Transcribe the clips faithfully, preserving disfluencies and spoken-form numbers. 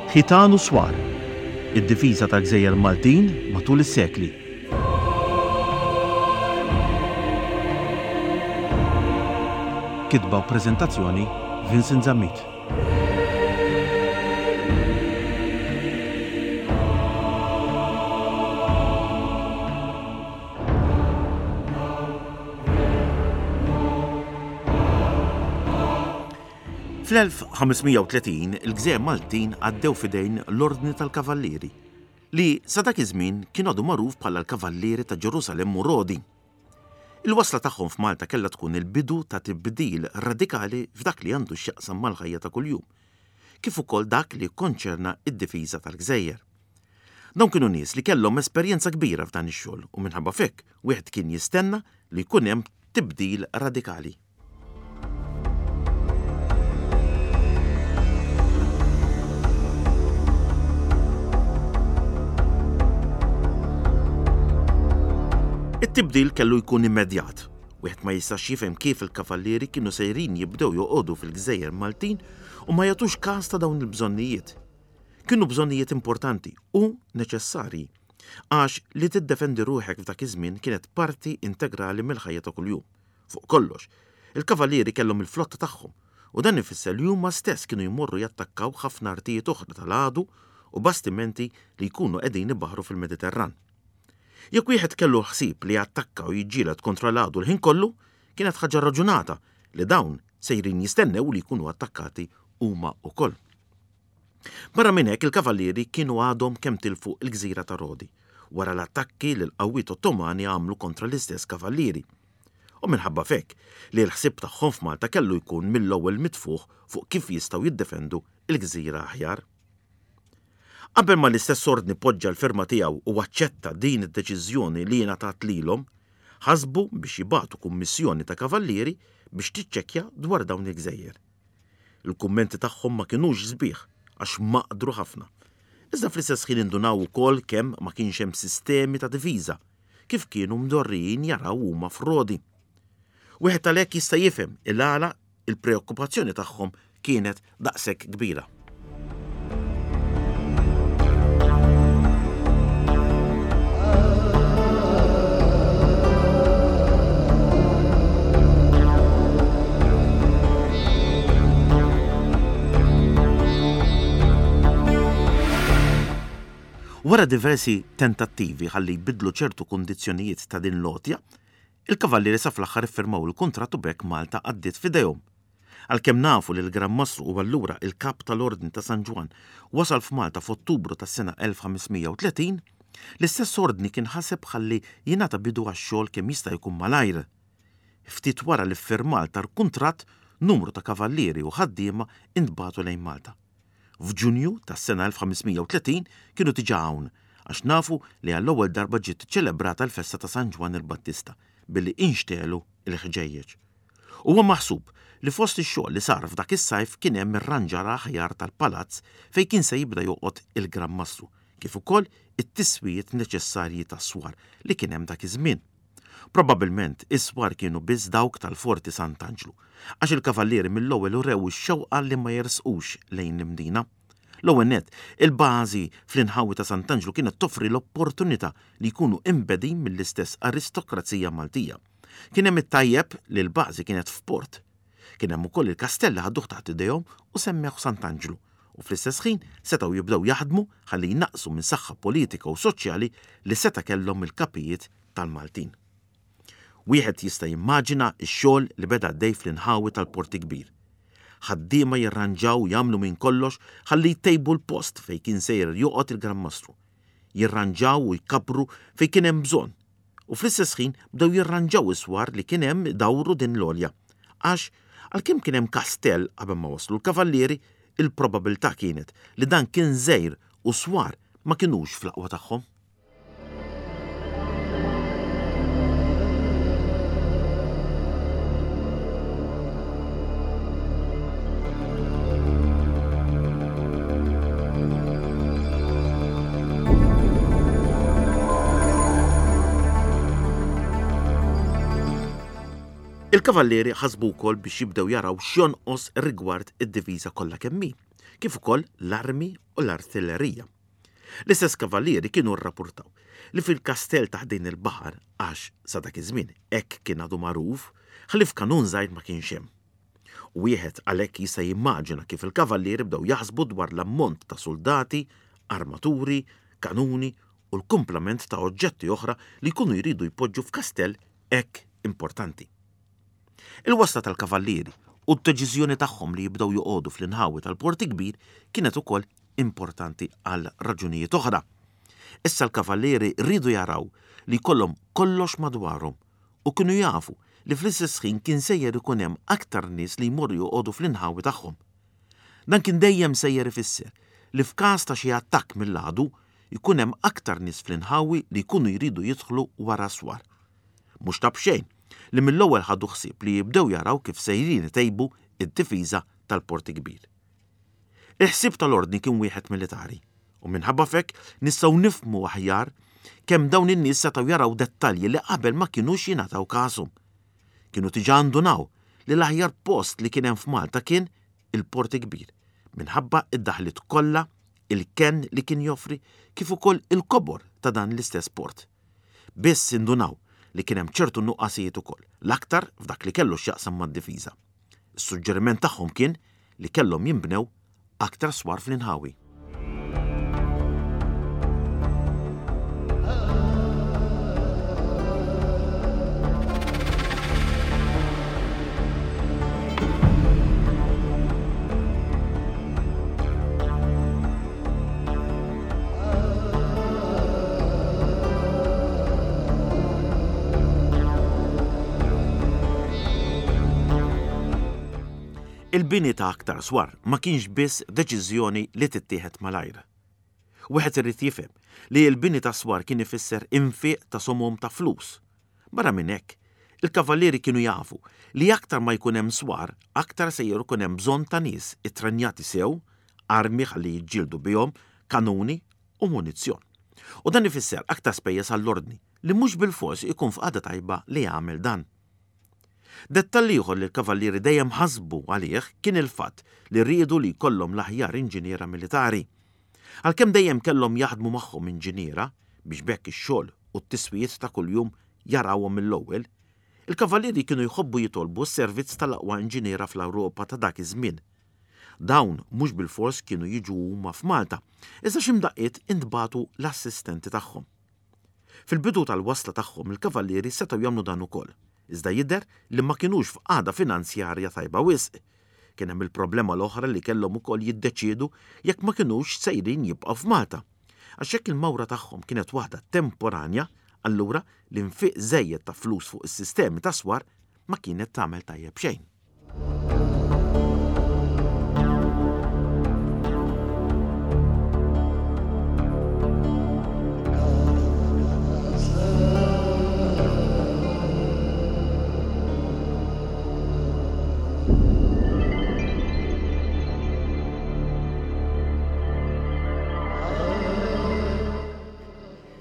Ħitan u Swar, id-difiża tal-Gżejjer Maltin matul is-sekli. Kitba u preżentazzjoni Vincent Zammit. Fl-elf ħames mija u tletin il-Gżejjer Maltin għaddew f'idejn l-Ordni tal-Kavallieri, li sa dak iż-żmien kien għadu magħruf bħala l-Kavallieri ta' Ġerusalemm u Rodi. Il-wasla tagħhom f'Malta kellha tkun il-bidu ta' tibdil radikali f'dak li għandu x'jaqsam mal-ħajja ta' kuljum, kif ukoll dak li jikkonċerna id-difiża tal-Gżejjer. Dawn kienu nies li kellhom esperjenza kbira f'dan ix-xogħol u minħabba f'hekk wieħed kien jistenna li jkun hemm tibdil radikali. It-tibdil kellu jkun immedjat. Wieħed ma jistax jifhem kif il-kavallieri kienu sejrin jibdew joqogħdu fil-Gżejjer Maltin u ma jagħtux każ ta' dawn il-bżonnijiet. Kienu bżonnijiet importanti u neċessarji, għax li tiddefendi ruħek f'dak iż-żmien kienet parti integrali mill-ħajja ta' kuljum. Fuq kollox, il-kavallieri kellhom il-flotta tagħhom u dan ifisser li huma stess kienu jmorru jattakkaw ħafna artijiet oħra tal-għadu u bastimenti li jkunu qegħdin ibaħħru fil-Mediterran. Jekk wieħed kellu ħsieb li jattakka u jiġġieled kontra l-għadu l-ħin kollu, kienet ħaġa raġunata li dawn sejrin jistennew li jkunu attakkati huma wkoll. Barra minn hekk il-kavallieri kienu għadhom kemm tilfu l-gżira ta' Rodi wara l-attakki li l-qawwiet Ottomani għamlu kontra l-istess kavallieri. U minħabba f'hekk li l-ħsieb tagħhom f'Malta kellu jkun mill-ewwel mitfuħ fuq kif jistgħu jiddefendu l-gżira aħjar. Qabel ma l-istess ordni poġġa l-firma tiegħu u aċċetta din id-deċiżjoni li ngħatat lilhom, ħasbu biex jibagħtu kummissjoni ta' kavallieri biex tiċċekkja dwar dawn il-gżejjer. Il-kummenti tagħhom ma kinux sbieħ għax maqdru ħafna. Iżda fl-istess ħin indunaw ukoll kemm ma kienx hemm sistemi ta' difiża kif kienu mdorrijin jaraw huma f'Rodi. Wieħed għalhekk jista' jifhem il-għala il-preokkupazzjoni tagħhom kienet daqshekk kbira. Wara diversi tentattivi ħalli jbidlu ċertu kundizzjonijiet ta' din l-għotja, il-kavallieri sa fl-aħħar iffirmaw il-kuntratt u b'hekk Malta għaddiet f'idejhom. Għalkemm nafu li l-Gran Mastru u allura il-kap tal-Ordni ta' San Ġwann wasal f'Malta f'Ottubru tas-sena elf ħames mija u tletin, l-istess ordni kien ħaseb ħalli jingħata bidu għax-xogħol kemm jista' jkun malajr. Ftit wara l-iffirmal tal-kuntratt, numru ta' kavallieri u ħaddiema intbagħtu lejn Malta. F'Ġunju tas-sena elf ħames mija u tletin kienu diġà hawn, għax nafu li għall-ewwel darba ġiet ċelebrata l-festa ta' San Ġwann il-Battista billi inxtelu l-ħġejjeġ. Huwa maħsub li fost ix-xogħol li sar f'dak is-sajf kien hemm irranġar aħjar tal-palazz fejn kien se jibda joqgħod il-Gran Mastru, kif ukoll it-tiswijiet neċessarji tas-swar li kien hemm dak iż-żmien. Probabilment is-swar kienu biss dawk tal-Forti Sant'Anġlu, għax il-kavallieri mill-ewwel urew ix-xewqa li ma jersqux lejn l-Imdina. L-ewwel nett, il-bażi fl-inħawi ta' Sant'Anġlu kienet toffri l-opportunità li jkunu imbedin mill-istess aristokrazija Maltija. Kien hemm it-tajjeb li l-bażi kienet f'port. Kien hemm ukoll il-kastell li ħaduh taħt idejhom u semmew Sant'Anġlu, u fl-istess ħin setgħu jibdew jaħdmu ħalli jnaqsu minn saħħa politika u soċjali li seta' kellhom il-kapijiet tal-Maltin. Wieħed jista' jimmaġina x-xogħol li beda għaddej fl-inħawi tal-Port Kbir. Ħaddiema jirranġaw jagħmlu minn kollox ħalli jtejbu l-post fejn kien sejjer joqgħod il-Gran Mastru. Jirranġaw u jkabru fejn kien hemm bżonn. U fl-istess ħin bdew jirranġaw is-swar li kien hemm dawru din l-għolja. Għax għalkemm kien hemm kastell qabel ma waslu l-kavallieri, il-probabilità kienet li dan kien żgħir u swar ma kinux fl-aqwa tagħhom. Il-kavallieri ħasbu wkoll biex jibdew jaraw x'jonqos rigward id-diviża kollha kemm hi, kif ukoll l-armi u l-artillerija. L-istess kavallieri kienu rrapportaw li fil-kastell ta' ħdejn il-baħar, għax sa dak iż-żmien hekk kien għadu magħruf, ħlief kanun żgħir ma kienx hemm. U wieħed għalhekk jista' jimmaġina kif il-kavallieri bdew jaħsbu dwar l-ammont ta' soldati, armaturi, kanuni u l-kumplament ta' oġġetti oħra li jkunu jridu jpoġġu f'kastell hekk importanti. Il-wasla tal-kavallieri u d-deċiżjoni tagħhom li jibdew joqogħdu fl-inħawi tal-Port Kbir kienet ukoll importanti għal raġunijiet oħra. Issa l-kavallieri rridu jaraw li jkollhom kollox madwarhom u kienu jafu li fl-istess ħin kien sejjer ikun hemm aktar nies li jmorru joqogħdu fl-inħawi tagħhom. Dan kien dejjem sejjer ifisser li f'każ ta' xi attakk mill-għadu jkun hemm aktar nies fl-inħawi li jkunu jridu jidħlu wara swar. Mhux ta' b'xejn li mill-ewwel ħadu ħsieb li jibdew jaraw kif sejrin itejbu id-difiża tal-Port Kbir. Il-ħsieb tal-ordni kien wieħed militari u minħabba f'hekk nistgħu nifhmu aħjar kemm dawn in-nies setgħu jaraw dettalji li qabel ma kinux jingħataw kashom. Kienu diġà ndunaw li l-aħjar post li kien hemm f'Malta kien il-Port Kbir minħabba id-daħliet kollha, il-kenn li kien joffri kif ukoll il-kobor ta' dan l-istess port. Biss indunaw li kien hemm ċertu nuqqasijiet ukoll, l-aktar f'dak li kellu x'jaqsam mad-difiża. Is-suġġeriment tagħhom kien li kellhom jinbnew aktar swar fl-inħawi. Il-bini ta' aktar swar ma kienx biss deċiżjoni li tittieħed malajr. Wieħed irid jifhem li l-bini ta' swar kien ifisser infiq ta' somom ta' flus. Barra minn hekk, il-kavallieri kienu jafu li aktar ma jkun hemm swar, aktar sejjer ikun hemm bżonn ta' nies ittrenjati sew, armi ħalli jiġġieldu bihom, kanuni u munizzjon. U dan ifisser aktar spejjeż għall-ordni li mhux bilfors ikun f'qagħda tajba li jagħmel dan. Dettall ieħor li l-kavallieri dejjem ħasbu għalih kien il-fatt li riedu li jkollhom l-aħjar inġiniera militari. Għalkemm dejjem kellhom jaħdmu magħhom inġiniera biex b'hekk ix-xogħol u t-tiswijiet ta' kuljum jarawhom mill-ewwel, il-kavallieri kienu jħobbu jitolbu s-servizz tal-aqwa inġiniera fl-Ewropa ta' dak iż-żmien. Dawn mhux bilfors kienu jiġu huma f'Malta, iżda xi mdaqqiet intbagħtu l-assistenti tagħhom. Fil-bidu tal-wasla tagħhom il-kavallieri setgħu jagħmlu dan ukoll, iżda jidher li ma kinux f'qagħda finanzjarja tajba wisq. Kien hemm il-problema l-oħra li kellhom ukoll jiddeċiedu jekk ma kinux sejrin jibqgħu f'Malta. Għax jekk il-mawra tagħhom kienet waħda temporanja, allura l-infiq żejjed ta' flus fuq is-sistemi ta' swar ma kienet tagħmel tajjeb xejn.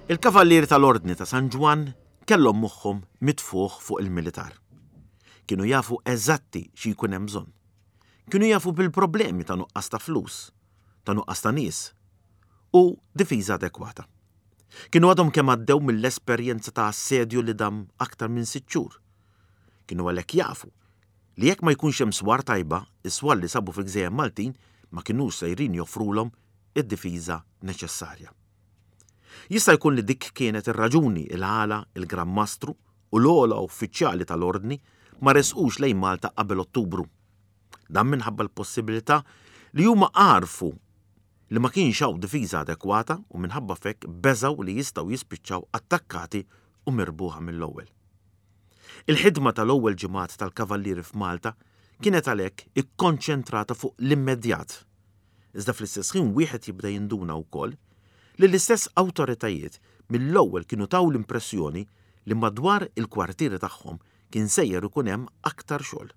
Il-kavallieri tal-Ordni ta' San Ġwann kellhom moħħhom mitfuħ fuq il-militar. Kienu jafu eżatti xi jkun hemm bżonn. Kienu jafu bil-problemi ta' nuqqas ta' flus, ta' nuqqas ta' nies u difiża adekwata. Kienu għadhom kemm għaddew mill-esperjenza ta' assedju li dam aktar minn sitt xhur. Kienu għalhekk jafu li jekk ma jkunx hemm swar tajba, is-swar li sabu fil-Gżejjer Maltin ma kinux sejrin joffrulhom id-difiża neċessarja. Jista' jkun li dik kienet ir-raġuni il-għala il-Gran Mastru u l-ogħla uffiċjali tal-Ordni ma resqux lejn Malta qabel Ottubru. Dan minħabba l-possibilità li huma għarfu li ma kienx hawn difiża adekwata u minħabba f'hekk beżgħu li jistgħu jispiċċaw attakkati u mirbuħa mill-ewwel. Il-ħidma tal-ewwel ġimgħat tal-Kavallieri f'Malta kienet għalhekk ikkonċentrata fuq l-immedjat. Iżda fl-istess ħin wieħed jibda jinduna wkoll li l-istess awtoritajiet mill-ewwel kienu taw l-impressjoni li madwar il-kwartieri tagħhom kien sejjer ikun hemm aktar xogħol.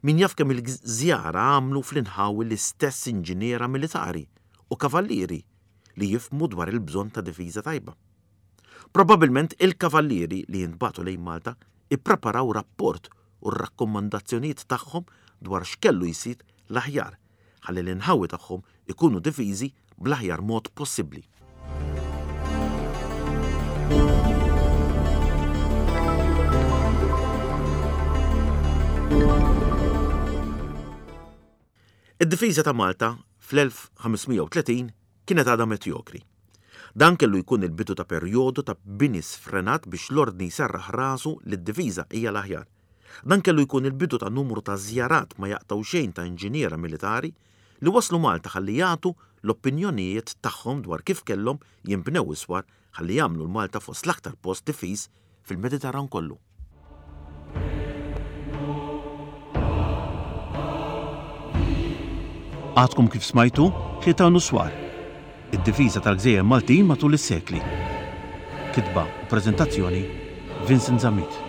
Min jaf kemm il-żjara għamlu fl-inħawi l-istess inġiniera militari u kavallieri li jifhmu dwar il-bżonn ta' difiża tajba. Probabilment il-kavallieri li jintbagħtu lejn Malta ippreparaw rapport u r-rakkomandazzjonijiet tagħhom dwar x'kellu jsir l-aħjar ħalli l-inħawi tagħhom ikunu difiżi bl-aħjar mod possibbli. Id-difiża ta' Malta fl-elf ħames mija u tletin kienet għadha medjokri. Dan kellu jkun il-bidu ta' perjodu ta' bini sfrenat biex l-ordni jserraħ rasu li d-difiża hija l-aħjar. Dan kellu jkun il-bidu ta' numru ta' żjarat ma jaqtgħu xejn ta' inġiniera militari li waslu Malta ħalli jagħtu l-opinjonijiet tagħhom dwar kif kellhom jinbnew is-swar ħalli jagħmlu l-Malta fost l-aktar post difiż fil-Mediterran kollu. Għadkom kif smajtu Ħitan u Swar, id-difiża tal-Gżejjer Maltin matul is-sekli. Kitba u preżentazzjoni Vincent Zammit.